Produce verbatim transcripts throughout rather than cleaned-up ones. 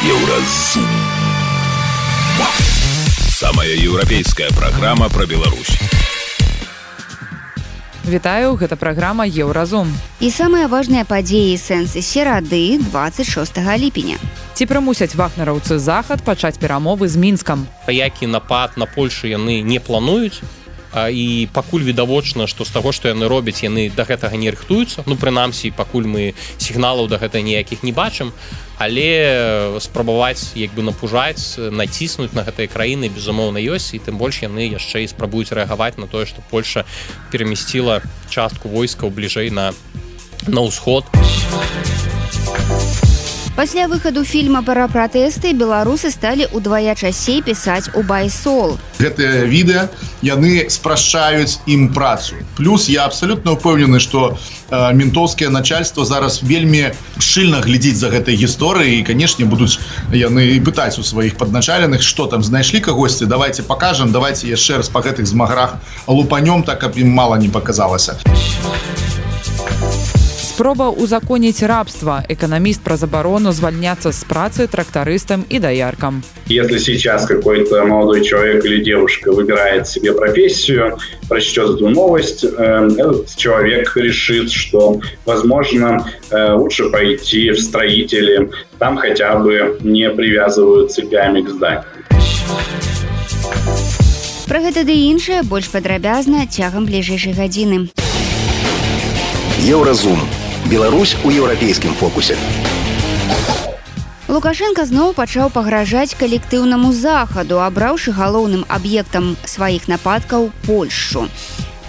Еўразум. Самая еўрапейская праграма пра Беларусь. Вітаю, гэта праграма Еўразум. І самыя важныя падзеі сэнсы серады дваццаць шостага ліпеня. Ці прымусяць вагнераўцы захад пачаць перамовы з Мінскам? Які напад на Польшу яны не плануюць, і пакуль відавочна, што з таго, што яны робяць, яны да гэтага не рыхтуюцца. Ну, прынамсі, пакуль мы сігналаў да гэтага ніякіх не бачым, але спрабаваць як бы напужаць, націснуць на гэтыя краіны безумоўна ёсць, і тым больш яны яшчэ і спрабуюць рэагаваць на тое, што Польша перамясціла частку войскаў бліжэй на, на ўсход. Пасля выхаду фільма пра пратэсты беларусы сталі ўдвая часцей пісаць у байсол. Гэтыя відэа, яны спрашчаюць ім працу. Плюс я абсалютна ўпэўнены, што э, ментоўскае начальство зараз вельмі шчыльна глядзіць за гэтай гісторыяй, і, канешне, будуць яны пытаць у сваіх падначаленых, што там знайшлі кагосьці, давайте пакажам, давайте яшчэ раз па гэтых змаграх лупанём, так каб ім мала не паказалася. Спроба узаконіць рабства. Экономист про заборону звольняться с працы трактористам и дояркам. Если сейчас какой-то молодой человек или девушка выбирает себе профессию, прочтет эту новость, этот человек решит, что, возможно, лучше пойти в строители, там хотя бы не привязывают цепями к зданию. Про гэта ды іншае больш падрабязна цягам бліжэйшай гадзіны. Еўразум. Беларусь у еўрапейскім фокусе. Лукашенко зноў пачаў пагражаць калектыўнаму захаду, абраўшы галоўным аб'ектам сваіх нападкаў Польшчу.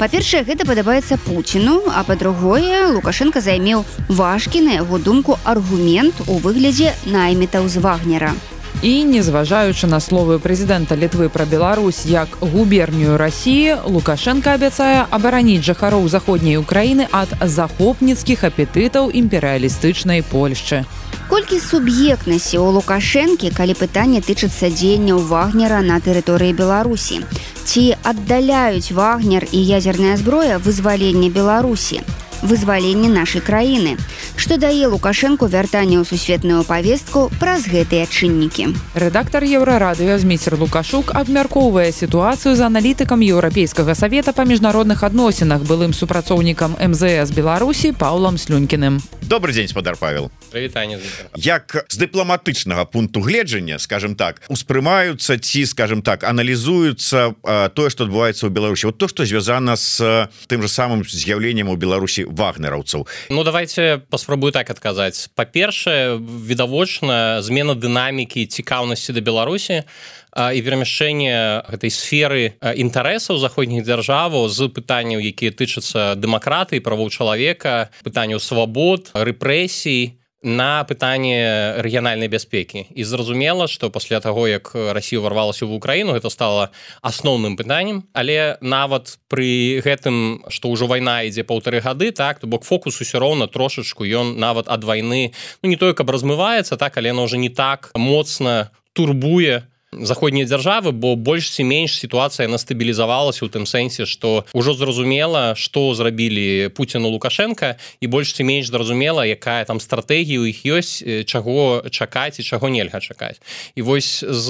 Па-першае, гэта падабаецца Пуціну, а па-другое, Лукашенко займеў важкі, на яго думку, аргумент у выглядзе наймітаў з Вагнера. І, незважаючы на словы прэзідэнта Літвы пра Беларусь як губернію Расіі, Лукашенко абяцае абараніць жыхароў заходняй Украіны ад захопніцкіх апетытаў імперыялістычнай Польшчы. Колькі суб'ектнасці ў Лукашэнкі, калі пытанне тычыцца дзеянняў Вагнера на тэрыторыі Беларусі? Ці аддаляюць Вагнер і ядзерная зброя вызваленне Беларусі? Вызваленне нашай краіны. Што дае Лукашэнку вяртанне ў сусветную павестку праз гэтыя чыннікі. Рэдактар Еўрарадыё Зміцер Лукашук абмяркоўвае сітуацыю з аналітыкам Еўрапейскага савета па міжнародных адносінах, былым супрацоўнікам эм зэ эс Беларусі Паўлам Слюнькіным. Добрый дзень, спадар Павел. Прывітанне. Як з дыпламатычнага пункту гледжання, скажем так, успрымаюцца ці, скажем так, аналізуюцца э, тое, што адбываецца ў Беларусі. Вот то, што звязана з тым же самым з'яўленнем у Беларусі вагнераўцаў. Ну, давайте паспрабую так адказаць. Па-першае, відавочна змена дынамікі цікаўнасці да Беларусі і перамяшчэнне гэтай сферы інтарэсаў заходніх дзяржаваў з пытанняў, якія тычацца дэмакратыі, правоў чалавека, пытанняў свабод, рэпрэсій, на пытанне рэгіянальнай бяспекі. І зразумела, што пасля таго, як Расія ўварвалася ў Украіну, гэта стала асноўным пытаннем, але нават пры гэтым, што ўжо вайна ідзе паўтары гады, так, то бок фокус усё роўна трошачку, ён нават ад вайны, ну не тое, каб размываецца, так, але яно ўжо не так моцна турбуе заходнія дзяржавы, бо больш ці менш сітуацыя яна стабілізавалася ў тым сэнсе, што ўжо зразумела, што зрабілі Пуцін і Лукашенка, і больш ці менш зразумела, якая там стратэгія ў іх ёсць, чаго чакаць і чаго нельга чакаць. І вось з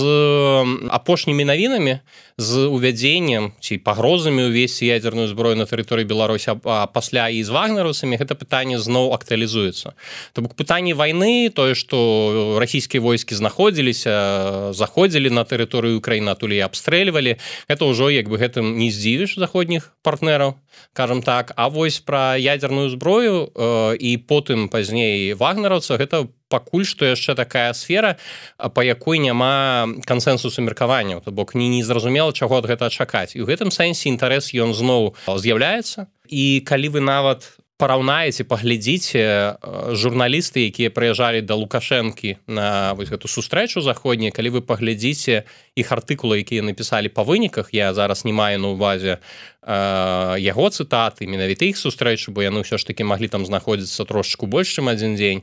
апошнімі навінамі, з увядзеннем ці пагрозамі ўвесці ядзерную зброю на тэрыторыі Беларусі, а пасля і з вагнераўцамі гэта пытанне зноў актуалізуецца. То бок пытанне вайны, тое, што расійскія войскі знаходзіліся, заходзілі на тэрыторыю Украіны, атуль і абстрэльвалі, гэта ўжо як бы гэтым не здзівіш заходніх партнераў, кажам так. А вось пра ядзерную зброю э, і потым пазней вагнераўца, гэта пакуль што яшчэ такая сфера, па якой няма кансэнсусу меркаванняў, то бок не, не зразумела, чаго ад гэта чакаць. І ў гэтым сэнсе інтарэс ён зноў з'яўляецца. І калі вы нават параўнаеце, паглядзіце журналісты, якія прыязджалі да Лукашэнкі на вось гэту сустрэчу заходняй, калі вы паглядзіце іх артыкулы, якія напісалі па выніках, я зараз не маю на ўвазе э, яго цытаты, менавіта іх сустрэчу, бо яны ўсё ж такі маглі там знаходзіцца трошачку больш, чым адзін дзень.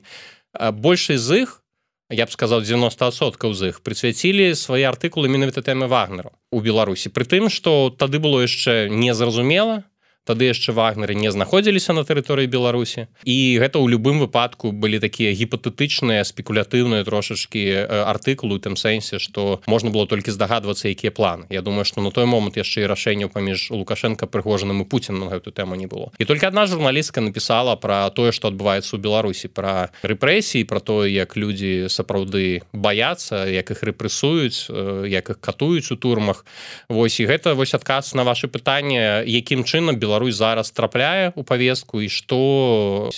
Большасць з іх, я б сказаў, дзевяноста адсоткаў з іх прысвяцілі свае артыкулы менавіта тэме Вагнеру у Беларусі. Пры тым, што тады было яшчэ незразумела, тады яшчэ вагнеры не знаходзіліся на тэрыторыі Беларусі, і гэта ў любым выпадку былі такія гіпатэтычныя спекулятыўныя трошачкі артыкулы у тым сэнсе, што можна было толькі здагадвацца, якія планы. Я думаю, што на той момант яшчэ і рашэнняў паміж Лукашенко, Прыгожиным і Пуціным на гэту тэму не было. І толькі адна журналістка напісала пра тое, што адбываецца ў Беларусі, пра рэпрэсіі, пра тое, як людзі сапраўды баяцца, як іх рэпрэсуюць, як іх катуюць у турмах. Вось, і гэта вось адказ на ваше пытанне, якім чынам Беларусь зараз трапляе ў павестку і што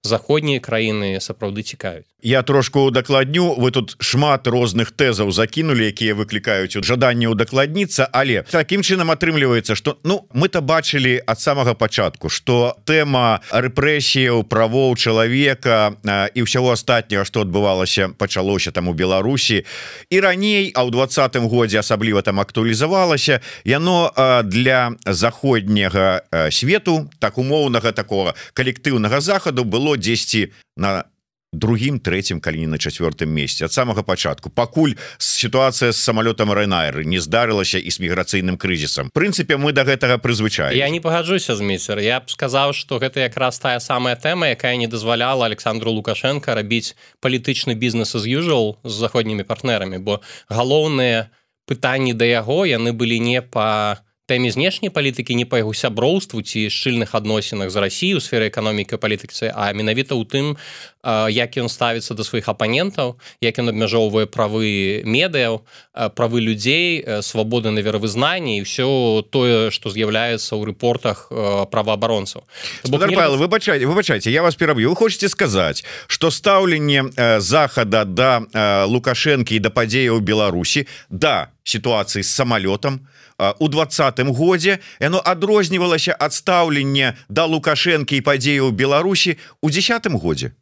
заходнія краіны сапраўды цікавяць. Я трошку удакладню, вы тут шмат розных тэзаў закінулі, якія выклікаюць жаданне удакладніцца, але такім чынам атрымліваецца, што ну мы-то бачылі ад самага пачатку, што тэма рэпрэсіяў, правоў чалавека і ўсяго астатняга, што адбывалася, пачалося там у Беларусі і раней, а ў двадцатым годзе асабліва там актуалізавалася, яно для заходняга свету, так умоўнага такого калектыўнага захаду было дзесьці на другім, трэцім, калі не на чацвёртым месцы ад самага пачатку, пакуль сітуацыя з самалётам Ryanair не здарылася і з міграцыйным крызісам. Прынцыпе, мы да гэтага прызвычаем. Я не пагаджуся з міцер. Я б сказаў, што гэта якраз тая самая тэма, якая не дазваляла Александру Лукашенко рабіць палітычны бізнес as usual з заходнімі партнерамі, бо галоўныя пытанні да яго, яны былі не па тэме знешняй палітыкі, не па яго сяброўству ці шчыльных адносінах з Расіяй у сферы эканомікі і палітыкі, а менавіта ў тым, як ён ставіцца да сваіх апанентаў, як ён абмяжоўвае правы медыяў, правы людзей, свабоды на веравызнанні і ўсё тое, што з'яўляецца ў рэпортах праваабаронцаў. Спадар Павел, выбачайце, выбачайце, я вас пераб'ю. Вы хочаце сказаць, што стаўленне захада да Лукашэнкі і да падзеяў у Беларусі, да сітуацыі з самалётам у двадцатым годзе яно адрознівалася ад стаўлення да Лукашэнкі і падзеяў у Беларусі у дзесятым годзе.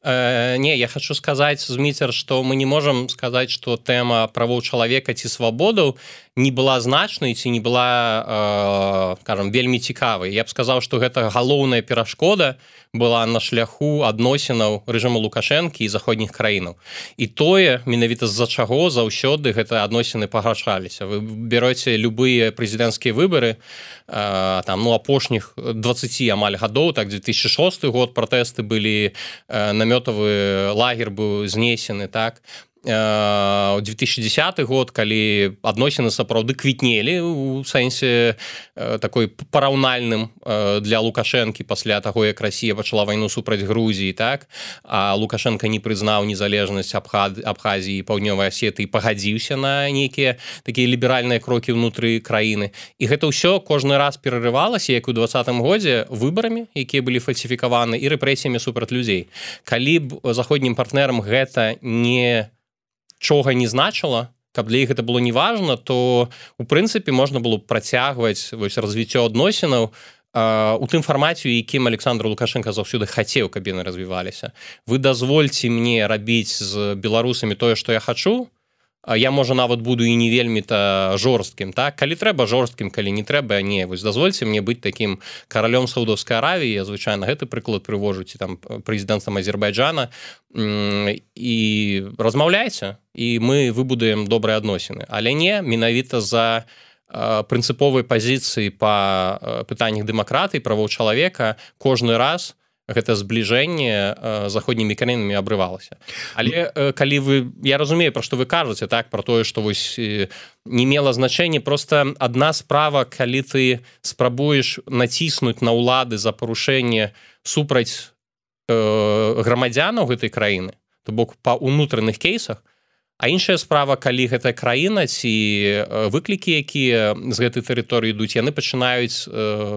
Э, не, я хочу сказаць, Зміцер, што мы не можам сказаць, што тэма правоў чалавека ці свабодаў не была значнай ці не была, э, скажем, вельмі цікавай. Я б сказаў, што гэта галоўная перашкода была на шляху адносінаў рэжыму Лукашэнкі і заходніх краінаў. І тое, менавіта з-за чаго заўсёды гэтыя адносіны пагаршаліся. Вы береце любыя прэзідэнцкія выбары, э, там, ну, апошніх дваццаці амаль гадоў, так, две тысячи шосты год пратэсты былі, э, намётавы лагер быў знесены, так, у две тысячи десятый год, калі адносіны сапраўды квітнелі у сэнсе такой параўнальным для Лукашэнкі пасля таго, як Расія пачала вайну супраць Грузіі, так, а Лукашенко не прызнаў незалежнасць Абхазіі і Паўднёвай Асетыі, пагадзіўся на нейкія такія ліберальныя крокі ўнутры краіны. І гэта ўсё кожны раз перарывалася, як у двадцатым годзе, выбарамі, якія былі фальсіфікаваны, і рэпрэсіямі супраць людзей. Калі б заходнім партнерам гэта не чога не значыла, каб для іх гэта было неважна, то у прынцыпе можна было працягваць вось развіццё адносінаў у тым фармаце, у якім Александр Лукашенко заўсёды хацеў, каб яны развіваліся. Вы дазвольце мне рабіць з беларусамі тое, што я хачу, я, можа, нават буду і не вельмі-то жорсткім, так? Калі трэба жорсткім, калі не трэба, не. Вось дазвольце мне быць такім каралём Саудаўскай Аравіі, я, звычайна, гэты прыклад прывожу, ці там прэзідэнтам Азербайджана, і размаўляйце, і мы выбудаем добрыя адносіны. Але не, менавіта за прынцыповай пазіцыі па пытаннях дэмакратыі, правоў чалавека кожны раз гэта збліжэнне заходнімі краінамі абрывалася. Але калі вы, я разумею, пра што вы кажаце, так, пра тое, што вось не мела значэння, проста адна справа, калі ты спрабуеш націснуць на ўлады за парушэнне супраць э, грамадзянаў гэтай краіны, то бок па ўнутраных кейсах, а іншая справа, калі гэтая краіна ці выклікі, якія з гэтай тэрыторыі ідуць, яны пачынаюць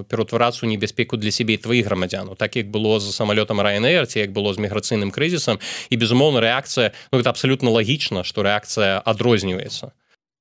пераўтварацца ў небяспеку для сябе і тваіх грамадзянаў, так як было з самалётам Ryanair, ці як было з міграцыйным крызісам, і, безумоўна, рэакцыя, ну, гэта абсалютна лагічна, што рэакцыя адрозніваецца.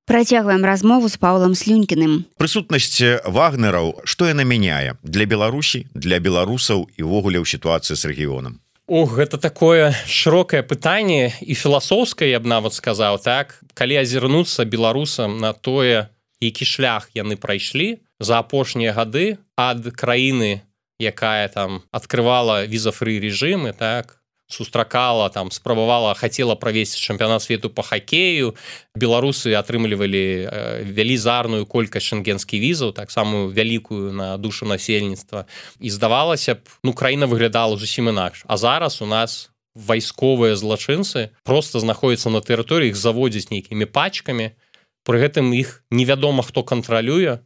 Працягваем размову з Паўлам Слюнькіным. Прысутнасць вагнераў, што яна мяняе для Беларусі, для беларусаў і ўвогуле ў сітуацыі з рэгіёнам? Ох, гэта такое шырокае пытанне і філасофскае, я б нават сказаў, так? Калі азірнуцца беларусам на тое, які шлях яны прайшлі за апошнія гады ад краіны, якая там адкрывала віза-фры рэжымы, так? сустракала, там спрабавала, хацела правесці чэмпіянат свету по хакею. Беларусы атрымлівалі велізарную колькасць шенгенскіх візаў, так самую вялікую на душу насельніцтва. І здавалася б, ну, краіна выглядала зусім інакш. А зараз у нас вайсковыя злачынцы просто знаходзяцца на тэрыторыі, іх заводзяць нейкімі пачкамі, пры гэтым іх невядома, хто кантралюе,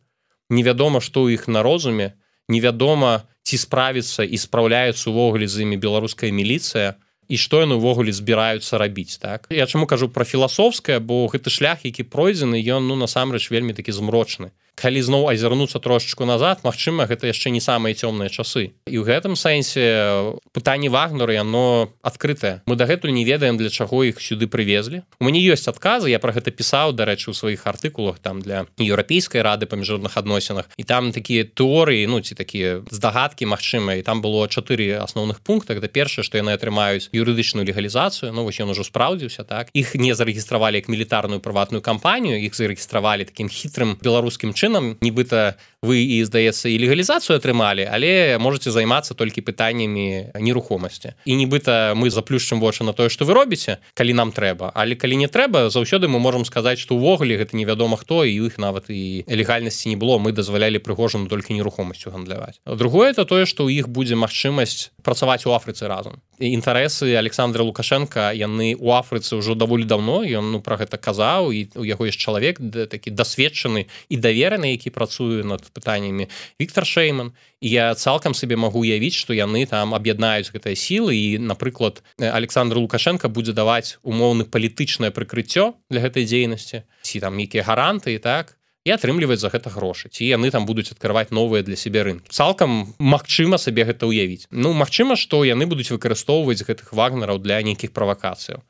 невядома, што ў іх на розуме, невядома, ці справіцца і спраўляецца увогуле з імі беларуская міліцыя, і што яны ўвогуле збіраюцца рабіць, так? Я чаму кажу пра філасофскае, бо гэты шлях, які пройдзены, ён, ну, насамрэч вельмі такі змрочны. Калі зноў азірнуцца трошачку назад, магчыма, гэта яшчэ не самыя цёмныя часы. І ў гэтым сэнсе пытанне Вагнера, яно адкрытае. Мы дагэтуль не ведаем, для чаго іх сюды прывезлі. У мяне ёсць адказы, я пра гэта пісаў, дарэчы, у сваіх артыкулах там для Еўрапейскай рады па міжнародных адносінах. І там такія тэорыі, ну, ці такія здагадкі, магчыма, і там было чатыры асноўных пункта. Гэта першае, што яны атрымаюць юрыдычную легалізацыю, ну, вось ён ужо спраўдзіўся, так? Іх не зарэгістравалі як мілітарную прыватную кампанію, іх зарэгістравалі такім хітрым беларускім чынам. Нібыта вы і, здаецца, і легалізацыю атрымалі, але можаце займацца толькі пытаннямі нерухомасці. І нібыта мы заплюшчым вочы на тое, што вы робіце, калі нам трэба. Але калі не трэба, заўсёды мы можам сказаць, што ўвогуле гэта невядома хто, і ў іх нават і легальнасці не было, мы дазвалялі Прыгожыну толькі нерухомасцю гандляваць. Другое, это тое, што ў іх будзе магчымасць працаваць у Афрыцы разам. Інтарэсы Александра Лукашенка, яны ў Афрыцы ўжо даволі даўно, ён, ну, пра гэта казаў, і у яго ёсць чалавек такі дасведчаны і давераны, які працуе над пытаннямі, Віктор Шейман. І я цалкам сабе магу уявіць, што яны там аб'яднаюць гэтыя сілы, і, напрыклад, Александр Лукашенко будзе даваць умоўны палітычнае прыкрыццё для гэтай дзейнасці, ці там нейкія гаранты і так, і атрымліваць за гэта грошы, ці яны там будуць адкрываць новыя для сябе рынкі. Цалкам магчыма сабе гэта ўявіць. Ну, магчыма, што яны будуць выкарыстоўваць гэтых вагнераў для нейкіх правакацыяў.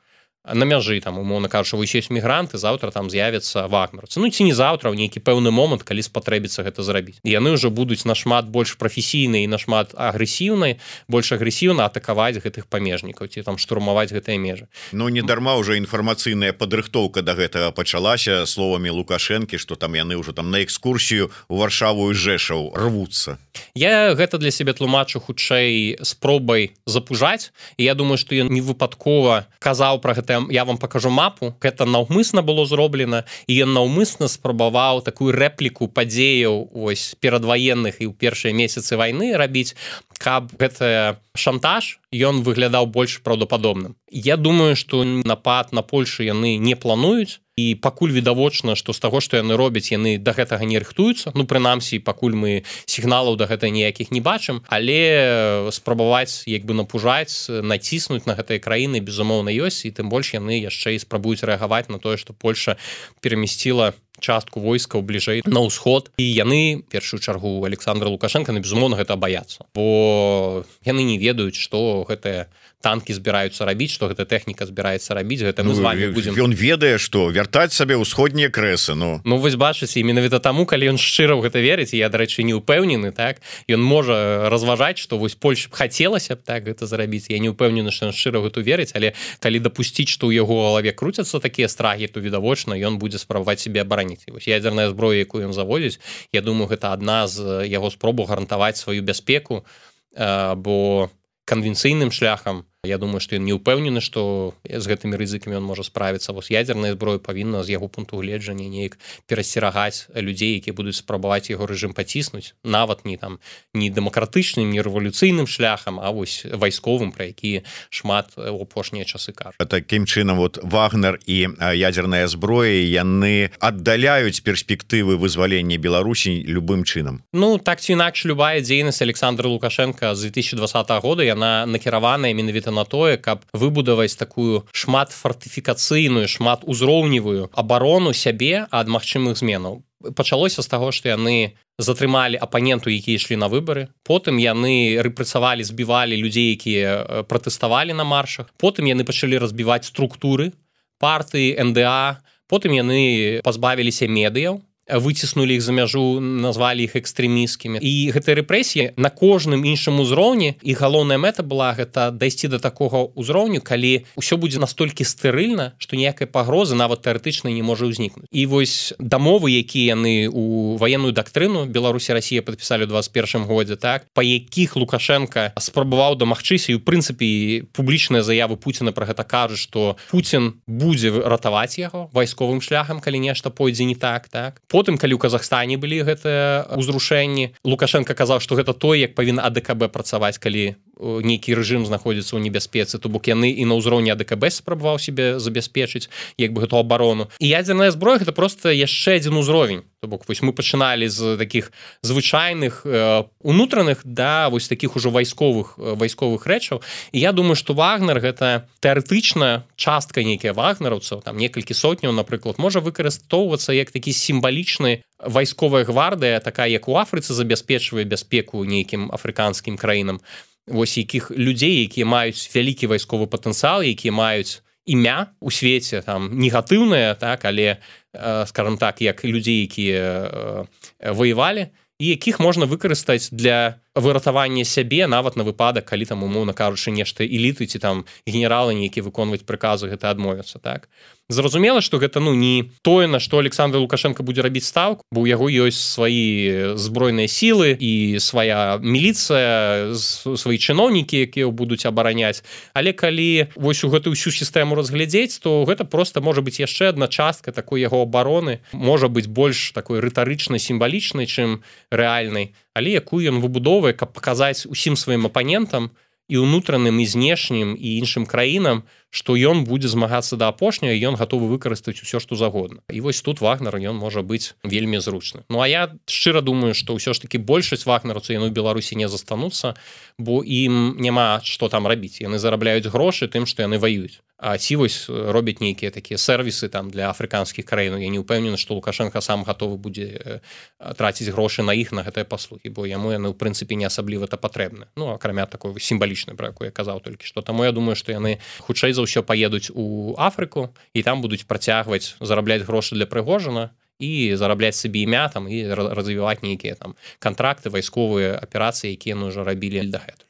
На мяжы, там, умоўна кажучы, вось ёсць мігранты, заўтра там з'явяцца вагнерцы. Ну, ці не заўтра, ў нейкі пэўны момант, калі спатрэбіцца гэта зрабіць. І яны ўжо будуць нашмат больш прафесійныя і нашмат агрэсіўныя, больш агрэсіўна атакаваць гэтых памежнікаў, ці там штурмаваць гэтыя межы. Ну, не дарма ўжо інфармацыйная падрыхтоўка да гэтага пачалася словамі Лукашэнкі, што там яны ўжо там на экскурсію ў Варшаву і Жэшаў рвуцца. Я гэта для сябе тлумачу хутчэй спробай запужаць, і я думаю, што ён не выпадкова казаў пра гэта. Я вам покажу мапу, гэта наўмысна было зроблена, і ён наўмысна спрабаваў такую рэпліку падзеяў ось перадваенных і ў першыя месяцы вайны рабіць, каб гэты шантаж ён выглядаў больш праўдападобным. Я думаю, што напад на Польшу яны не плануюць, і пакуль відавочна, што з таго, што яны робяць, яны да гэтага не рыхтуюцца. Ну, прынамсі, пакуль мы сігналаў да гэта ніякіх не бачым, але спрабаваць як бы напужаць, націснуць на гэтыя краіны, безумоўна, ёсць, і тым больш яны яшчэ і спрабуюць рэагаваць на тое, што Польша перамясціла частку войскаў бліжэй на ўсход, і яны, першую чаргу Александра Лукашенка, на безумоўна, гэта баяцца, бо яны не ведаюць, што гэтыя танкі збіраюцца рабіць, што гэта тэхніка збіраецца рабіць, гэта мы ну, з вами будзем. Ён ведае, што вяртаць сабе ўсходнія крэсы, ну. Ну, вось бачыце, менавіта таму, калі ён шчыра ў гэта верыць, і я, дарэчы, не ўпэўнены, так, ён можа разважаць, што вось Польша б хацелася б так гэта зрабіць. Я не ўпэўнены, што ён шчыра ў гэту верыць, але калі дапусціць, што ў яго галаве круцяцца такія страхі, то відавочна ён будзе спрабаваць сябе абараніць. Вось ядзерная зброя, якую ён заводзіць, я думаю, гэта адна з яго спробаў гарантаваць сваю бяспеку, бо канвенцыйным шляхам, я думаю, што ён не ўпэўнены, што з гэтымі рызыкамі ён можа справіцца. Вось ядзерная зброя павінна з яго пункту гледжання неяк перасцерагаць людзей, якія будуць спрабаваць яго рэжым паціснуць, нават не там не дэмакратычным, не рэвалюцыйным шляхам, а вось вайсковым, пра які шмат у апошнія часы кажуць. Такім чынам, вот Вагнер і ядзерная зброя, яны аддаляюць перспектывы вызвалення Беларусі любым чынам. Ну, так ці інакш, любая дзейнасць Александра Лукашенка з две тысячи двадцатого года, яна накіраваная менавіта на тое, каб выбудаваць такую шмат фартыфікацыйную, шмат узроўневую абарону сябе ад магчымых зменаў. Пачалося з таго, што яны затрымалі апаненту, якія ішлі на выбары. Потым яны рэпрэсавалі, збівалі людзей, якія пратэставалі на маршах. Потым яны пачалі разбіваць структуры партыі эн дэ а. Потым яны пазбавіліся медыяў. выціснулі іх за мяжу, назвалі іх экстрэмісткімі. І гэтыя рэпрэсіі на кожным іншым узроўні, і галоўная мэта была гэта дайсці да такога ўзроўню, калі ўсё будзе настолькі стэрыльна, што ніякай пагрозы нават тэарэтычна не можа ўзнікнуць. І вось дамовы, якія яны у ваенную дактрыну Беларусь і Расія падпісалі ў двадцать первым годзе, так, па якіх Лукашенко спрабаваў дамагчыся, і ў прынцыпе публічныя заявы Пуціна пра гэта кажуць, што Пуцін будзе ратаваць яго вайсковым шляхам, калі нешта пойдзе не так, так. Потым, калі ў Казахстане былі гэтыя ўзрушэнні, Лукашенко казаў, што гэта той, як павінна А Дэ Ка Бэ працаваць, калі нейкі рэжым знаходзіцца ў небяспецы, то бок яны і на ўзроўні А Дэ Ка Бэ спрабаваў себе забяспечыць як бы гэту абарону. І ядзерная зброя гэта просто яшчэ адзін узровень. То бок вось мы пачыналі з такіх звычайных э, унутраных да вось такіх ужо вайсковых э, вайсковых рэчаў. І я думаю, што Вагнер гэта тэарэтычна частка нейкія вагнераўцаў, там некалькі сотняў, напрыклад, можа выкарыстоўвацца як такі сімвалічны вайсковая гвардыя, такая як у Афрыцы забяспечвае бяспеку нейкім афрыканскім краінам. Вось якіх людзей, якія маюць вялікі вайсковы патэнцыял, якія маюць імя у свеце там негатыўнае, так, але э, скажем так, як людзей, якія э, ваявалі, і якіх можна выкарыстаць для выратавання сябе нават на выпадак, калі там умоўна кажучы нешта эліты ці там генералы нейкія выконваць прыказы гэта адмовяцца, так. Зразумела, што гэта ну не тое, на што Александр Лукашенко будзе рабіць стаўку, бо ў яго ёсць свае збройныя сілы і свая міліцыя, свае чыноўнікі, якія будуць абараняць. Але калі вось у гэтую ўсю сістэму разглядзець, то гэта проста можа быць яшчэ адна частка такой яго абароны, можа быць больш такой рытарычнай, сімвалічнай, чым рэальнай, але якую ён выбудоўвае, каб паказаць усім сваім апанентам і ўнутраным, і знешнім, і іншым краінам, што ён будзе змагацца да апошняга, і ён гатовы выкарыстаць усё, што загодна. І вось тут Вагнер, ён можа быць вельмі зручны. Ну, а я шчыра думаю, што ўсё ж такі большасць вагнераўцаў яны ў Беларусі не застануцца, бо ім няма што там рабіць. Яны зарабляюць грошы тым, што яны ваююць. А ці вось робяць нейкія такія сервісы там для афрыканскіх краін. Я не ўпэўнены, што Лукашенко сам гатовы будзе траціць грошы на іх, на гэтыя паслугі, бо яму яны ў прынцыпе не асабліва та патрэбны. Ну, акрамя такой сімвалічнай, пра якую я казаў толькі што. Таму я думаю, што яны хутчэй за ўсё паедуць у Афрыку і там будуць працягваць зарабляць грошы для Прыгожына і зарабляць сабе імя там і развіваць нейкія там кантракты, вайсковыя аперацыі, якія яны ўжо рабілі дагэтуль.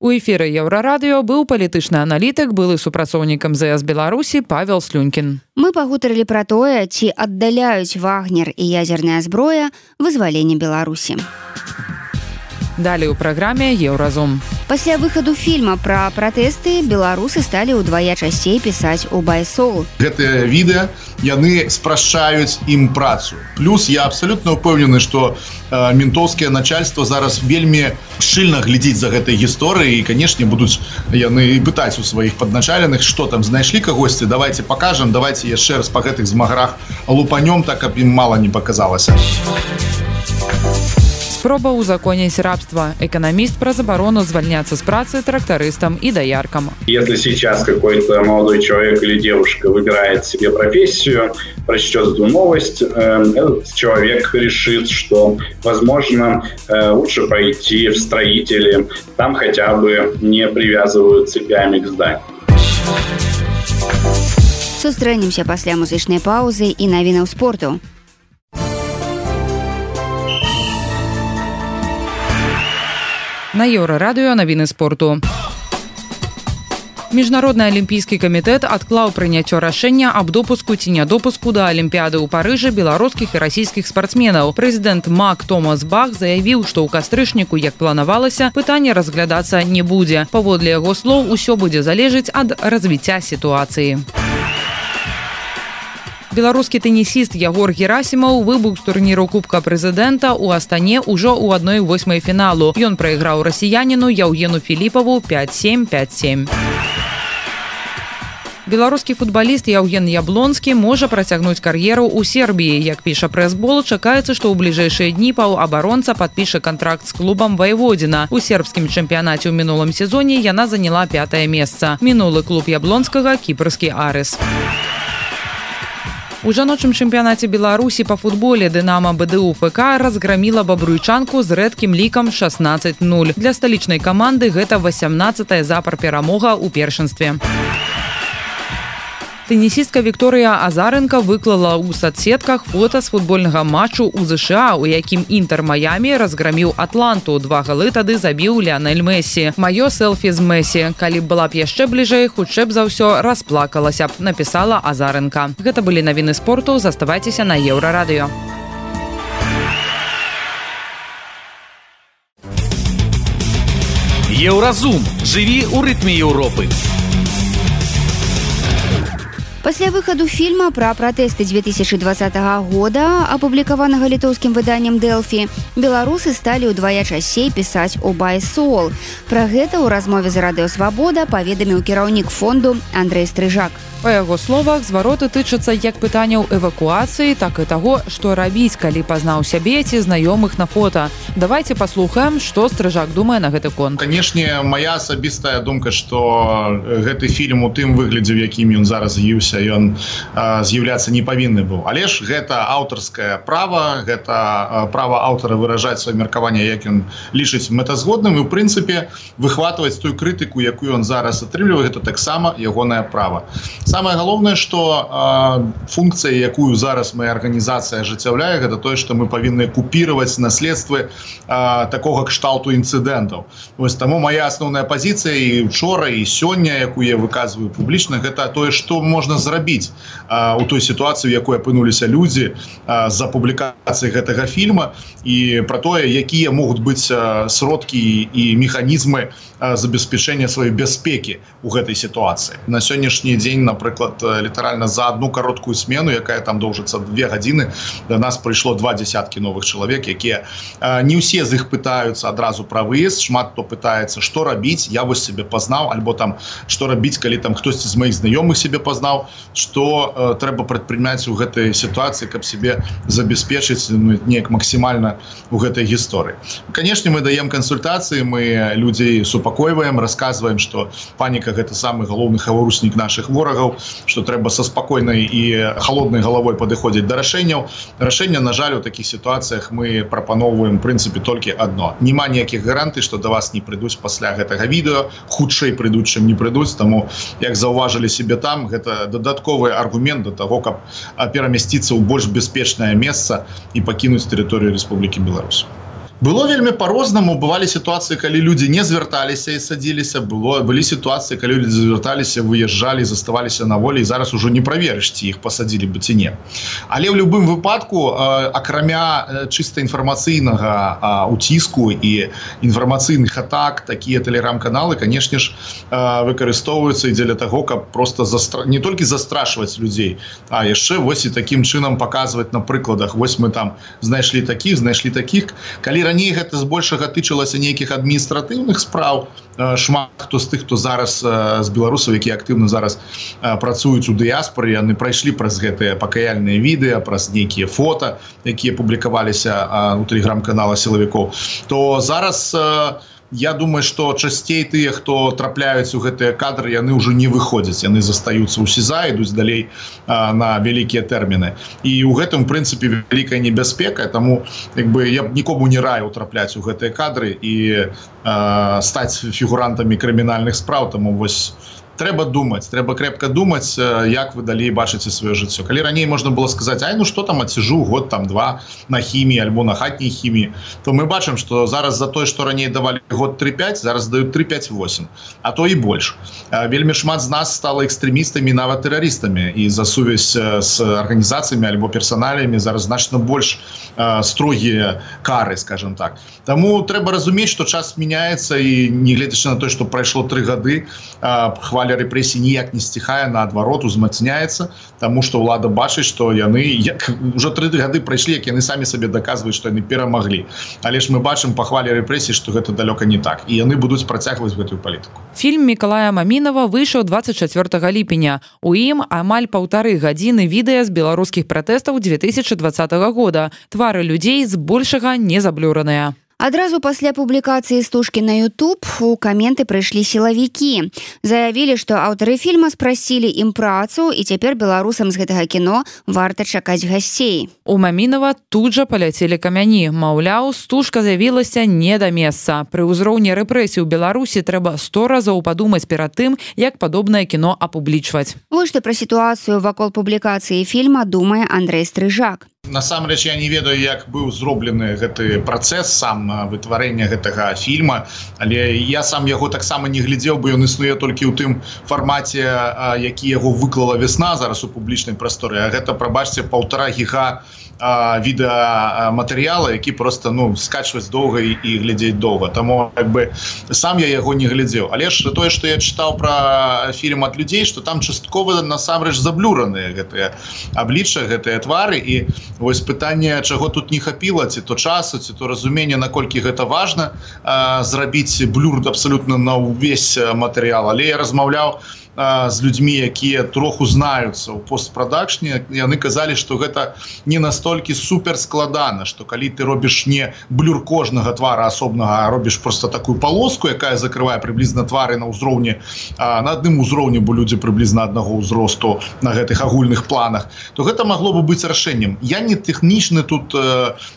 У эфіры Еўрарадыё быў палітычны аналітык, былы супрацоўнік эм зэ эс Беларусі Павел Слюнькін. Мы пагутарылі пра тое, ці аддаляюць Вагнер і ядзерная зброя вызвалення Беларусі. Далей у праграме Еўразум. Пасля выхаду фільма пра пратэсты беларусы сталі ўдвая часцей пісаць у байсол. Гэтыя відэа яны спрашчаюць ім працу. Плюс я абсалютна ўпэўнены, што э, ментоўскае начальство зараз вельмі шчыльна глядзіць за гэтай гісторыяй, і, канешне, будуць яны пытаць у сваіх падначаленых, што там знайшлі кагосьці, давайте пакажам, давайте яшчэ раз па гэтых змагарах лупанём, так каб ім мала не паказалася. Спроба узаконіць рабства. Экономист про заборону звольняться с працы трактористам и дояркам. Если сейчас какой-то молодой человек или девушка выбирает себе профессию, прочтет эту новость, этот человек решит, что, возможно, лучше пойти в строители. Там хотя бы не привязывают цепями к зданию. Сустрэнемся пасля музычнай паузы і навінаў спорту. На Еўрарадыё навіны спорту. Міжнародны алімпійскі камітэт адклаў прыняццё рашэння аб допуску ці нядопуску да алімпіяды ў Парыжы беларускіх і расійскіх спартсменаў. Прэзідэнт Мак Томас Бах заявіў, што ў кастрычніку, як планавалася, пытанне разглядацца не будзе. Паводле яго слоў, усё будзе залежыць ад развіцця сітуацыі. Беларускі тэнісіст Ягор Герасімаў выбыў з турніру Кубка прэзідэнта ў Астане ўжо ў адной восьмай фіналу. Ён прайграў расіяніну Яўгену Філіпаву пяць сем пяць сем. Беларускі футбаліст Яўген Яблонскі можа працягнуць кар'еру ў Сербіі. Як піша прэс-бол, чакаецца, што ў бліжэйшыя дні паўабаронца падпіша кантракт з клубам Вайводзіна. У сербскім чэмпіянаце ў мінулым сезоне яна заняла пятае месца. Мінулы клуб Яблонскага – кіпрскі Арыс. У жаночым чэмпіянаце Беларусі па футболе Дынамо Бэ Дэ У Эф Ка разграміла бабруйчанку з рэдкім лікам шаснаццаць нуль. Для сталічнай каманды гэта васямнаццатая запар перамога ў першынстве. Тэнісістка Вікторыя Азаренка выклала ў соцсетках фота з футбольнага матчу ў ЗША, у якім Інтер Майами разграміў Атланту. Два галы тады забіў Ліанель Мессі. Маё селфі з Мессі. Калі б была б яшчэ бліжэй, хутчэй б за ўсё расплакалася б, напісала Азаренка. Гэта былі навіны спорту. Заставайцеся на Еўрарадыё. Еўразум. Жыві ў рытме Еўропы. Пасля выхаду фільма пра пратэсты две тысячи двадцатага года, апублікаванага літоўскім выданнем Дэлфі, беларусы сталі ўдвая часцей пісаць о байсол. Пра гэта ў размове з Радыё Свабода паведаміў кіраўнік фонду Андрэй Стрыжак. Па яго словах, звароты тычацца як пытанняў эвакуацыі, так і таго, што рабіць, калі пазнаў сябе ці знаёмых на фота. Давайте паслухаем, што Стрыжак думае на гэты конт. Канешне, моя асабістая думка, што гэты фільм у тым выглядзе, в якім ён зараз з'явіўся, ён з'яўляцца не павінны быў. Але ж гэта аўтарскае права, гэта права аўтара выражаць сваё меркаванне, як ён лічыць мэтазгодным, і ў прынцыпе выхватваць тую крытыку, якую ён зараз атрымлівае, гэта таксама ягонае права. Самае галоўнае, што э, функцыя, якую зараз моя арганізацыя ажыццяўляе, гэта тое, што мы павінны купіраваць наследствы э, такога кшталту інцыдэнтаў. Вось таму моя асноўная пазіцыя і учора, і сёння, якую я выказваю публічна, гэта тое, што можна зрабіць э, у той сітуацыі, у якой апынуліся людзі э, за публікацыяй гэтага фільма, і пра тое, якія могуць быць э, сродкі і механізмы э, забеспячэння сваёй бяспекі ў гэтай сітуацыі. На сённяшні дзень, напрыклад, літаральна за одну кароткую смену, якая там доўжыцца две гадзіны, да нас прыйшло два дзясяткі новых чалавек, якія э, не ўсе з іх пытаюцца адразу пра выезд, шмат хто пытаецца, што рабіць, я вось сябе пазнаў, альбо там што рабіць, калі там хтосьці з маіх знаёмых сябе пазнаў, што э, трэба прадпрыняць у гэтай сітуацыі, каб сябе забяспечыць ну, неяк максімальна у гэтай гісторыі. Канешне, мы даем кансультацыі, мы людзей супакойваем, расказваем, што паніка гэта самы галоўны хаваруснік нашых ворагаў, што трэба са спакойнай і халоднай галавой падыходзіць да рашэнняў. Рашэння, на жаль, у такіх сітуацыях мы прапаноўваем, в прынцыпе, толькі адно. Нема ніякіх гарантый, што да вас не прыйдуць пасля гэтага відэо, хутчэй прыйдуць, чым не прыйдуць, таму, як заўважылі себе там, гэта дадатковы аргумент да таго, каб перамясціцца ў больш бяспечнае месца і пакінуць тэрыторыю Рэспублікі Беларусь. Было вельмі по-рознаму, бывалі сітуацыі, калі людзі не звярталіся і садзіліся, было былі сітуацыі, калі людзі звярталіся, выязджалі, заставаліся на волі, і зараз ужо не праверыш, ці іх пасадзілі бы ці не. Але ў любым выпадку, акрамя чыста інфармацыйнага уціску і інфармацыйных атак, такія тэлеграм-каналы, канешне ж, выкарыстоўваюцца і дзеля таго, каб проста застра... не толькі застрашваць людзей, а яшчэ вось і такім чынам паказваць на прыкладах. Вось мы там знайшлі такіх, знайшлі такіх. Калі раней гэта збольшага тычылася нейкіх адміністратыўных спраў, шмат хто з тых, хто зараз з беларусаў, якія актыўна зараз працуюць у дыяспоры, яны прайшлі праз гэтыя пакаяльныя відэа, праз нейкія фота, якія публікаваліся у тэлеграм-канала сілавікоў, то зараз я думаю, што часцей тыя, хто трапляюць у гэтыя кадры, яны ўжо не выходзяць, яны застаюцца ў СІЗА, ідуць далей а, на вялікія тэрміны. І ў гэтым, у прынцыпе, вялікая небяспека, таму як бы, я б нікому не раіў трапляць у гэтыя кадры і а, стаць фігурантамі крымінальных спраў, таму вось трэба думаць, трэба крепка думаць, як вы далей бачыце сваё жыццё. Калі раней можна было сказаць, ай, ну што там, адсіжу год, там, два на хіміі альбо на хатняй хіміі, то мы бачым, што зараз за тое, што раней давалі год тры-пяць, зараз даюць тры-пяць-восем, а то і больш. Вельмі шмат з нас стала экстрэмістамі, нават тэрарыстамі, і за сувязь з арганізацыямі альбо персаналямі зараз значна больш строгія кары, скажем так. Таму трэба разумець, што час мяняецца, і не гледзячы на тое, што прайшло тры гады, хваля рэпрэсій ніяк не сціхае, наадварот, узмацняецца, таму што ўлада бачыць, што яны як, ўжо тры гады прайшлі, як яны самі сабе даказваюць, што яны перамаглі. Але ж мы бачым па хвале рэпрэсій, што гэта далёка не так, і яны будуць працягваць гэтую палітыку. Фільм Мікалая Мамінава выйшаў дваццаць чацвёртага ліпеня. У ім амаль паўтары гадзіны відэа з беларускіх пратэстаў две тысячи двадцатага года. Твары людзей збольшага не заблюраныя. Адразу пасля публікацыі стужкі на YouTube у каменты прыйшлі сілавікі. Заявілі, што аўтары фільма спрасілі ім працу, і цяпер беларусам з гэтага кіно варта чакаць гасцей. У Мамінова тут жа паляцелі камяні. Маўляў, стужка з'явілася не да месца. Пры ўзроўні рэпрэсій у Беларусі трэба сто разоў падумаць перад тым, як падобнае кіно апублічваць. Вось што пра сітуацыю вакол публікацыі фільма думае Андрэй Стрыжак. Насамрэч я не ведаю, як быў зроблены гэты працэс сам вытварэння гэтага фільма, але я сам яго таксама не глядзеў, бо ён існуе толькі ў тым фармаце, які яго выклала вясна зараз у публічнай прасторы. А гэта, прабачце, паўтара гіга відэаматэрыяла, які просто ну скачваць доўга і глядзець доўга. Таму як бы сам я яго не глядзеў. Але ж тое, што я чытаў пра фільм ад людзей, што там часткова насамрэч заблюраныя гэтыя аблічча, гэтыя твары, і вось пытанне, чаго тут не хапіла, ці то часу, ці то разумення, наколькі гэта важна зрабіць блюр абсалютна на ўвесь матэрыял. Але я размаўляў з людзьмі, якія троху знаюцца ў постпрадакшне, яны казалі, што гэта не настолькі супер складана, што калі ты робіш не блюр кожнага твара асобнага, а робіш просто такую полоску, якая закрывае прыблізна твары на ўзроўні, на адным узроўні, бо людзі прыблізна аднаго ўзросту на гэтых агульных планах, то гэта магло бы быць рашэннем. Я не тэхнічны тут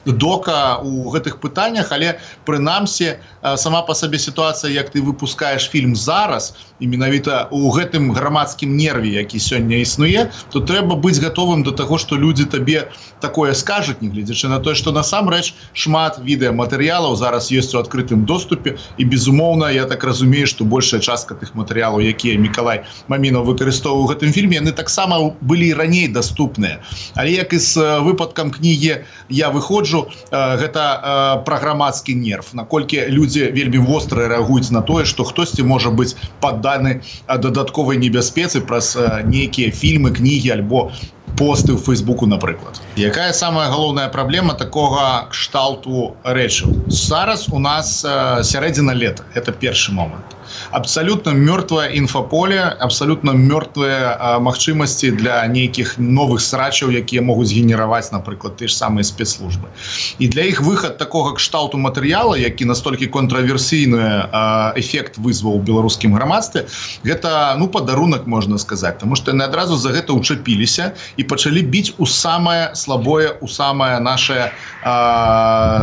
дока ў гэтых пытаннях, але прынамсі сама па сабе сітуацыя, як ты выпускаеш фільм зараз, і менавіта ў гэтым грамадскім нерве, які сёння існуе, то трэба быць гатовым да таго, што людзі табе такое скажуць, не гледзячы на тое, што насамрэч шмат відэаматэрыялаў зараз ёсць у адкрытым доступе, і безумоўна, я так разумею, што большая частка тых матэрыялаў, якія Мікалай Мамінаў выкарыстоўваў у гэтым фільме, яны таксама былі раней даступныя. Але як і з выпадкам кнігі «Я выходжу», гэта пра грамадскі нерв, наколькі людзі вельмі востра рэагуюць на тое, што хтосьці можа быць падданы дадатковай небяспецы праз нейкія фільмы, кнігі альбо посты ў Фейсбуку, напрыклад. Якая самая галоўная праблема такога кшталту рэчаў? Зараз у нас сярэдзіна лета, гэта першы момант. Абсолютно мёртвае інфаполе, абсолютно мёртвыя магчымасці для нейкіх новых срачаў, якія могуць генераваць, напрыклад, ты ж самыя спецслужбы. І для іх выхад такога кшталту матэрыяла, які настолькі контраверсійны эфект вызваў у беларускім грамадстве, гэта ну падарунак, можна сказаць, таму што яны адразу за гэта ўчапіліся і пачалі біць у самае слабое, у самае наше,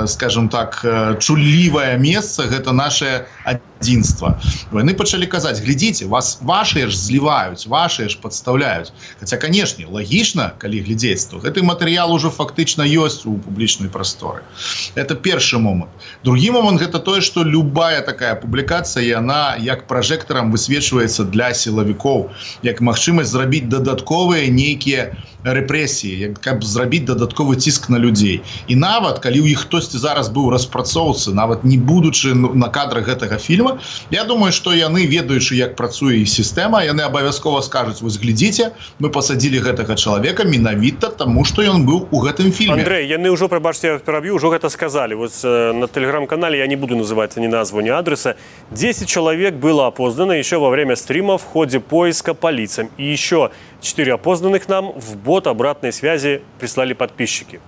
скажем так, чуллівае месца, гэта наше адзінства. Яны пачалі казаць: глядзіце, вас вашыя ж зліваюць, вашыя ж падстаўляюць. Хаця, канешне, лагічна, калі глядзець, то гэты матэрыял ужо фактычна ёсць у публічнай прасторы. Это першы момант. Другі момант — гэта тое, што любая такая публікацыя, яна як пражэктарам высвечваецца для сілавікоў, як магчымасць зрабіць дадатковыя нейкія рэпрэсіі, каб зрабіць дадатковы ціск на людзей. І нават, калі ў іх хтосьці зараз быў распрацоўцы, нават не будучы на кадрах гэтага фільма, я думаю, што яны, ведаючы, як працуе сістэма, яны абавязкова скажуць: вось глядзіце, мы пасадзілі гэтага чалавека менавіта таму, што ён быў у гэтым фільме. Андрэй, яны ўжо, прабачце, я пераб'ю, ўжо гэта сказалі. Вось на тэлеграм-канале, я не буду называть ни назву, ни адреса, десять человек было опознано еще во время стрима в ходе поиска по лицам. И еще четыре опознанных нам в бот обратной связи прислали подписчики.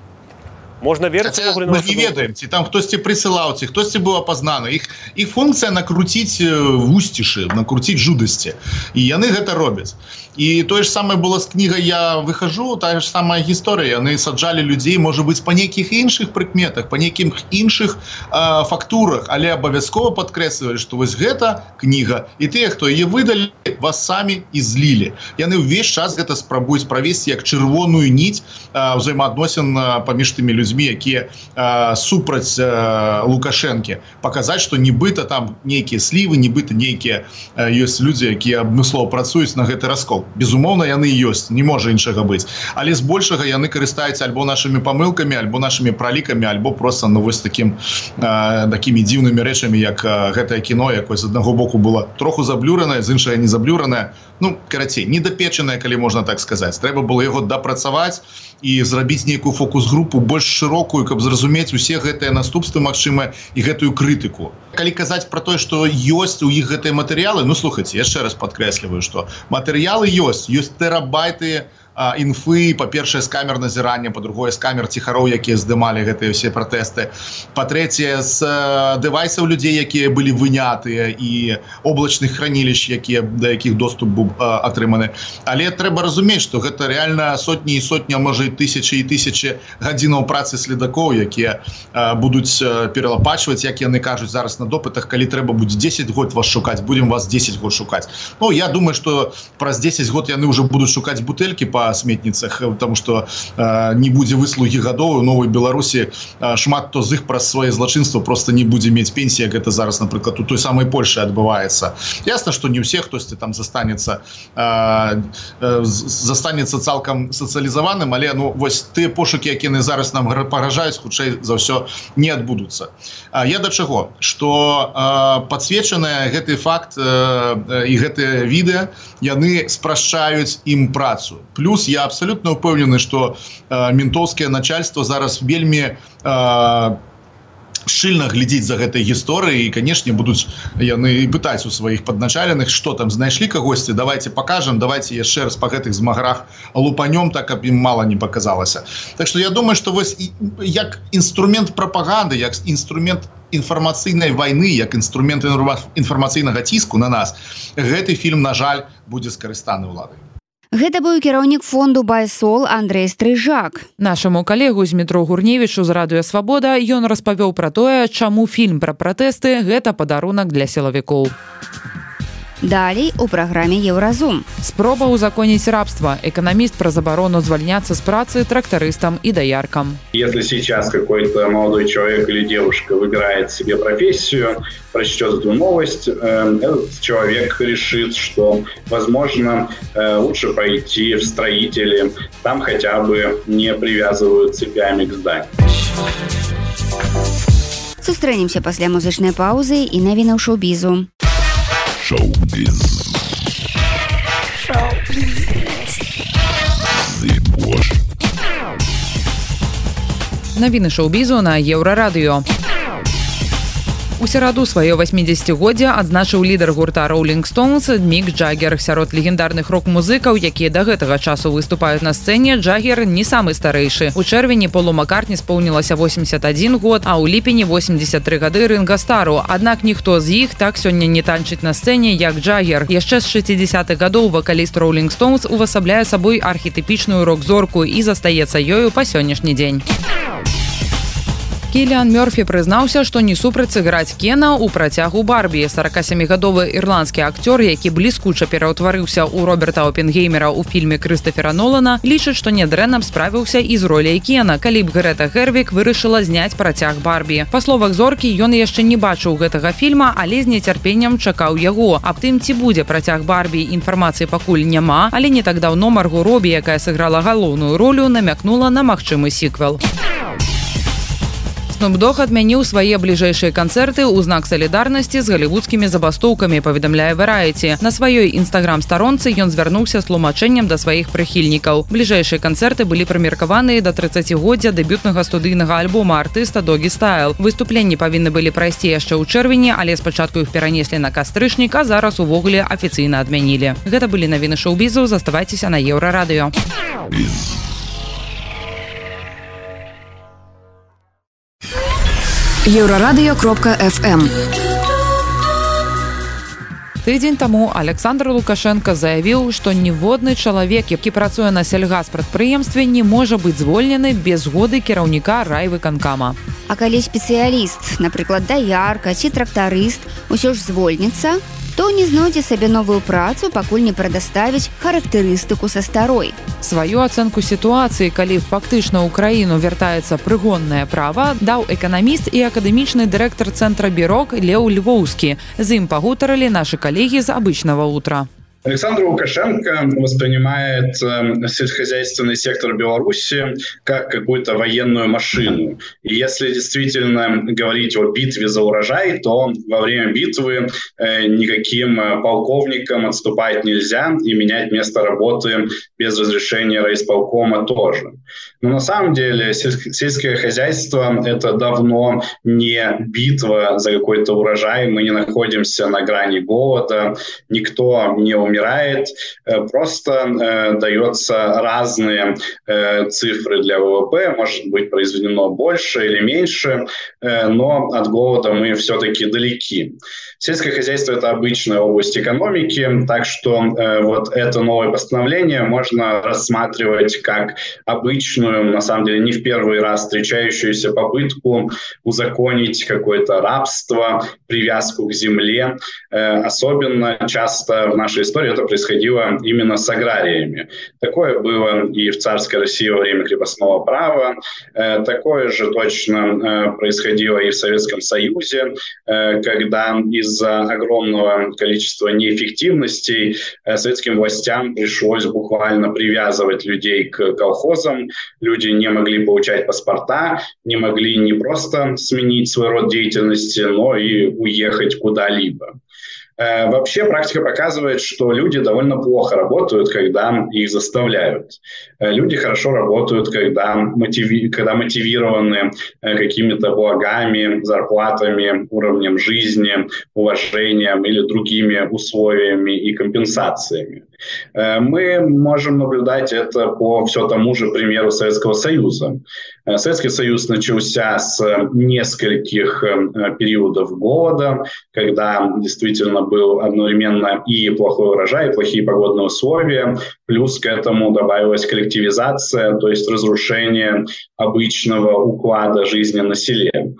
Можно верить, Хотя мы не ведаем, ці там хтосьці прысылаў, ці хтосьці быў апазнаны. Іх, іх функцыя накруціць вусцішы, накруціць жудасці. І яны гэта робяць. І тое ж самае было з кнігай «Я выхожу», тая ж самая гісторыя. Яны саджалі людзей, можа быць, па нейкіх іншых прыкметах, па нейкіх іншых э, фактурах, але абавязкова падкрэслівалі, што вось гэта кніга, і тыя, хто яе выдалі, вас самі і злілі. Яны ўвесь час гэта спрабуюць правесці як чырвоную ніць э, ўзаемаадносін паміж тымі людзьмі, якія э, супраць э, Лукашэнкі. Паказаць, што нібыта там нейкія слівы, нібыта нейкія э, ёсць людзі, якія абмыслова працуюць на гэты раскол. Безумоўна, яны ёсць, не можа іншага быць. Але збольшага яны карыстаюцца альбо нашымі памылкамі, альбо нашымі пралікамі, альбо проста ну, вось такім, э, такімі дзіўнымі рэчамі, як э, гэтае кіно, якое з аднаго боку было троху заблюранае, з іншага не заблюранае. Ну, карацей, недапечанае, калі можна так сказаць. Трэба было яго дапрацаваць і зрабіць нейкую фокус-групу больш шырокую, каб зразумець усе гэтыя наступствы магчымыя і гэтую крытыку. Калі казаць пра тое, што ёсць у іх гэтыя матэрыялы, ну, слухайце, яшчэ раз падкрэсліваю, што матэрыялы ёсць, ёсць тэрабайты інфы, па-першае, з камер назірання, па-другое, з камер ціхароў, якія здымалі гэтыя ўсе пратэсты, па-трэцяе, з дэвайсаў людзей, якія былі вынятыя, і облачных хранілішч, якія, да якіх доступ быў атрыманы. Але трэба разумець, што гэта рэальна сотні і сотні, а можа і тысячы і тысячы гадзінаў працы следакоў, якія будуць пералапачваць, як яны кажуць зараз на допытах, калі трэба будзе дзесяць год вас шукаць, будем вас дзесяць год шукаць. Ну, я думаю, што праз дзесяць год яны ўжо будуць шукаць бутэлькі па сметніцах, потому што э, не будзе выслугі гадоў. У новай Беларусі э, шмат хто з іх праз свае злачынства просто не будзе мець пенсіі, як гэта зараз, напрыклад, у той самай Польшы адбываецца. Ясна, што не ўсе, хтосьці там застанецца э, э, застанецца цалкам сацыялізаваным, але ну, вось тыя пошукі, якія яны зараз нам пагражаюць, хутчэй за ўсё не адбудуцца. А я да чаго? Што э, падсвечаныя гэты факт э, і гэтыя відэа, яны спрашчаюць ім працу. Плюс я абсолютно упэўнены, што э, ментоўскае начальство зараз вельмі э, шчыльна глядзіць за гэтай гісторыяй, і, канешне, будуць яны пытаць у сваіх падначаленых, што там знайшлі кагосьці, давайте пакажам, давайте яшчэ раз па гэтых змагарах лупанём, так каб ім мала не паказалася. Так што я думаю, што вось як інструмент прапаганды, як інструмент інфармацыйнай вайны, як інструмент інфармацыйнага ціску на нас, гэты фільм, на жаль, будзе скарыстаны ўладай. Гэта быў кіраўнік фонду «Байсол» Андрэй Стрыжак. Нашаму калегу Змітру Гурневічу з радыё «Свабода» ён распавёў пра тое, чаму фільм пра пратэсты – гэта падарунак для сілавікоў. Далей у праграме «Еўразум». Спроба узаконіць рабства. Эканаміст пра забарону звальняцца з працы трактарыстам і даяркам. Если сейчас какой-то молодой человек или девушка выбирает себе профессию, прочтет эту новость, этот человек решит, что, возможно, лучше пойти в строители, там хотя бы не привязывают цепями к зданию. Сустрэнемся пасля музычнай паўзы і навінаў шоу-бізу. Шоу-біз. Шоу-біз. Навіны шоу-бізу на Еўрарадыё. У сераду сваё васьмідзесяцігоддзе адзначыў лідар гурта Rolling Stones Мік Джаггер. Сярод легендарных рок-музыкаў, якія да гэтага часу выступаюць на сцэне, Джаггер не самы старэйшы. У чэрвені Полу Маккартні споўнілася восемьдесят один год, а ў ліпені восемьдесят три гады Ринго Стару. Аднак ніхто з іх так сёння не танчыць на сцэне, як Джаггер. Яшчэ з шэсцідзесятых гадоў вакаліст Rolling Stones увасабляе сабой архетыпічную рок-зорку і застаецца ёю па сённяшні дзень. Кіліан Мёрфі прызнаўся, што не супраць сыграць Кена ў працягу Барбі. сорокасемігадовы ірландскі акцёр, які бліскуча пераўтварыўся ў Роберта Опенгеймера ў фільме Крыстафера Нолана, лічыць, што нядрэнна справіўся і з роляй Кена, калі б Грэта Гервіг вырашыла зняць працяг Барбі. Па словах зоркі, ён яшчэ не бачыў гэтага фільма, але з нецярпеннем чакаў яго. Аб тым, ці будзе працяг Барбі, інфармацыі пакуль няма, але не так даўно Марго Робі, якая сыграла галоўную ролю, намякнула на магчымы сіквел. Снуп Дог адмяніў свае бліжэйшыя канцэрты ў знак салідарнасці з галівудскімі забастоўкамі, паведамляе Variety. На сваёй інстаграм-старонцы ён звярнуўся з тлумачэннем да сваіх прыхільнікаў. Бліжэйшыя канцэрты былі прымеркаваныя да трыццацігоддзя дэбютнага студыйнага альбома артыста Doggy Style. Выступленні павінны былі прайсці яшчэ ў чэрвені, але спачатку іх перанеслі на кастрычнік, а зараз увогуле афіцыйна адмянілі. Гэта былі навіны шоу-бізу, заставайцеся на Еўрарадыё. Еўрарадыё кропка эф эм. Тыдзень таму Александр Лукашенко заявіў, што ніводны чалавек, які працуе на сельгаспрадпрыемстве, не можа быць звольнены без згоды кіраўніка райвыканкама. А калі спецыяліст, напрыклад, даярка ці трактарыст, усё ж звольніцца, то не знойдзе сабе новую працу, пакуль не прадаставіць характарыстыку са старой. Сваю ацэнку сітуацыі, калі фактычна ў краіну вяртаецца прыгоннае права, даў эканаміст і акадэмічны дырэктар цэнтра Бірок Леў Львоўскі. З ім пагутарылі нашы калегі з «Обычного утра». Александр Лукашенко воспринимает э, сельскохозяйственный сектор Беларуси как какую-то военную машину. И если действительно говорить о битве за урожай, то во время битвы э, никаким полковникам отступать нельзя и менять место работы без разрешения райисполкома тоже. Но на самом деле сельск- сельское хозяйство – это давно не битва за какой-то урожай. Мы не находимся на грани голода, никто не умеет умирает. Просто дается разные цифры для ВВП, может быть произведено больше или меньше, но от голода мы все-таки далеки. Сельское хозяйство – это обычная область экономики, так что вот это новое постановление можно рассматривать как обычную, на самом деле не в первый раз встречающуюся попытку узаконить какое-то рабство, привязку к земле. Особенно часто в нашей истории это происходило именно с аграриями. Такое было и в царской России во время крепостного права, такое же точно происходило и в Советском Союзе, когда из-за огромного количества неэффективностей советским властям пришлось буквально привязывать людей к колхозам. Люди не могли получать паспорта, не могли не просто сменить свой род деятельности, но и уехать куда-либо. Вообще практика показывает, что люди довольно плохо работают, когда их заставляют. Люди хорошо работают, когда, мотиви... когда мотивированы какими-то благами, зарплатами, уровнем жизни, уважением или другими условиями и компенсациями. Мы можем наблюдать это по все тому же примеру Советского Союза. Советский Союз начался с нескольких периодов голода, когда действительно был одновременно и плохой урожай, и плохие погодные условия, плюс к этому добавилась коллективизация, то есть разрушение обычного уклада жизни на селе.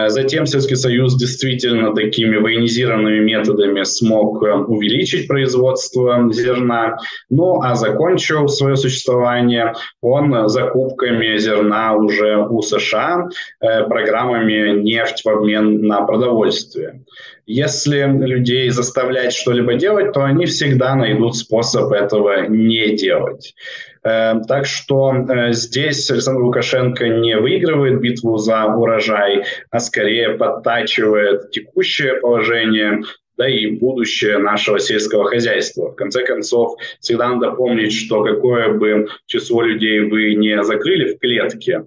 Затем Советский Союз действительно такими военизированными методами смог увеличить производство зерна, ну а закончил свое существование он закупками зерна уже у США, программами нефть в обмен на продовольствие. Если людей заставлять что-либо делать, то они всегда найдут способ этого не делать. Так что здесь Александр Лукашенко не выигрывает битву за урожай, а скорее подтачивает текущее положение, да и будущее нашего сельского хозяйства. В конце концов, всегда надо помнить, что какое бы число людей вы не закрыли в клетке,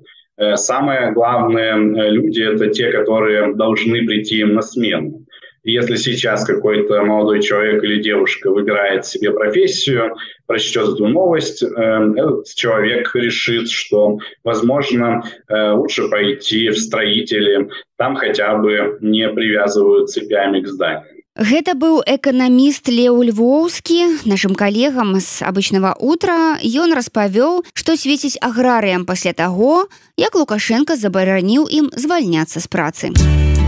самое главное люди – это те, которые должны прийти им на смену. Если сейчас какой-то молодой человек или девушка выбирает себе профессию, прочтет эту новость, этот человек решит, что, возможно, лучше пойти в строители, там хотя бы не привязывают цепями к зданию. Гэта быў эканаміст Леў Львоўскі. Нашым калегам з абычнага утра ён распавёў, што свеціць аграрыям пасля таго, як Лукашенко забараніў ім звальняцца з працы.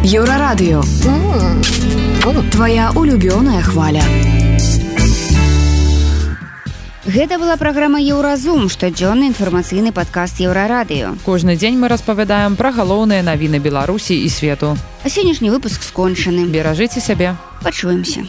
Еўрарадыё. Твоя улюбёная хваля. Гэта была праграма «Еўразум», штодзённы інфармацыйны падкаст Еўрарадыё. Кожны дзень мы распавядаем пра галоўныя навіны Беларусі і свету. А сённяшні выпуск скончаны. Беражыце сябе. Пачуемся.